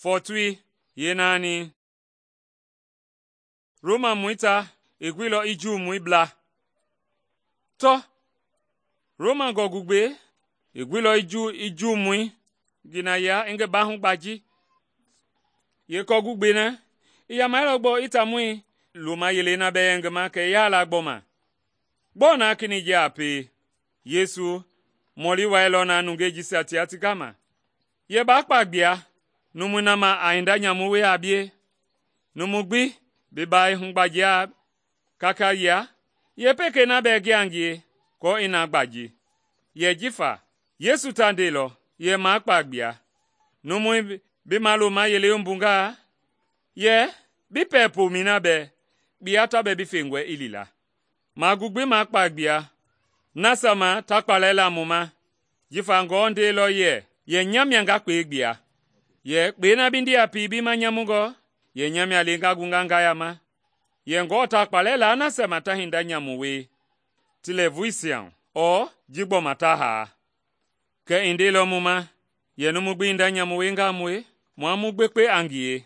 Fɔɔtoi yeenaani. Romamɔi ta i guilɔ i Juumɔi bla. Tɔ, Roma gɔɔgugbei i guilɔ i Juumɔi ngi na yia i ngi baahu gbaji. Yeekɔɔgugbei na i yamailɔ gbɔɔ i taamɔi loma yelei na bɛɛ yɛ ngi ma kɛ i yaalaa gbɔma. Gbɔɔ na kenɛi ji a pie? Yesu mɔli wailɔ na nungei jisia tia ti gama, yɛ baa kpa gbia numui na ma a hinda nyamu wie a bie. Numu gbi bi baa i hugbajia kaka yia, yeepekei na bɛɛ gia ngie aako i na gbaji. Yɛ jifa Yesu ta ndeilɔ yɛ maa kpa gbia. Numui bi maloma yelei wumbungaa, yɛ bi pɛɛ pomɛi na bɛɛ kpiya ta bɛ bi fengɔe i lila. Magu gbi maa kpa gbia nasia ma ta kpalɛ la mu ma, jifa Ngewɔ ndeilɔ yɛ nya mia nga kpei gbia. Yɛ kpei na bi ndii a pie bi ma nyamungɔ, yɛ nya mia le nga gunga nga yama. Yɛ Ngewɔ ta kpalɛ la nasia ma ta hinda nyamu wie ti lɛɛvuisia hu, ɔɔ ji gbɔma ta haa. Kɛ i ndeilɔ mu ma, yɛ numu gbi hinda nyamu wiengaa mue, mua mu gbekpe a ngie.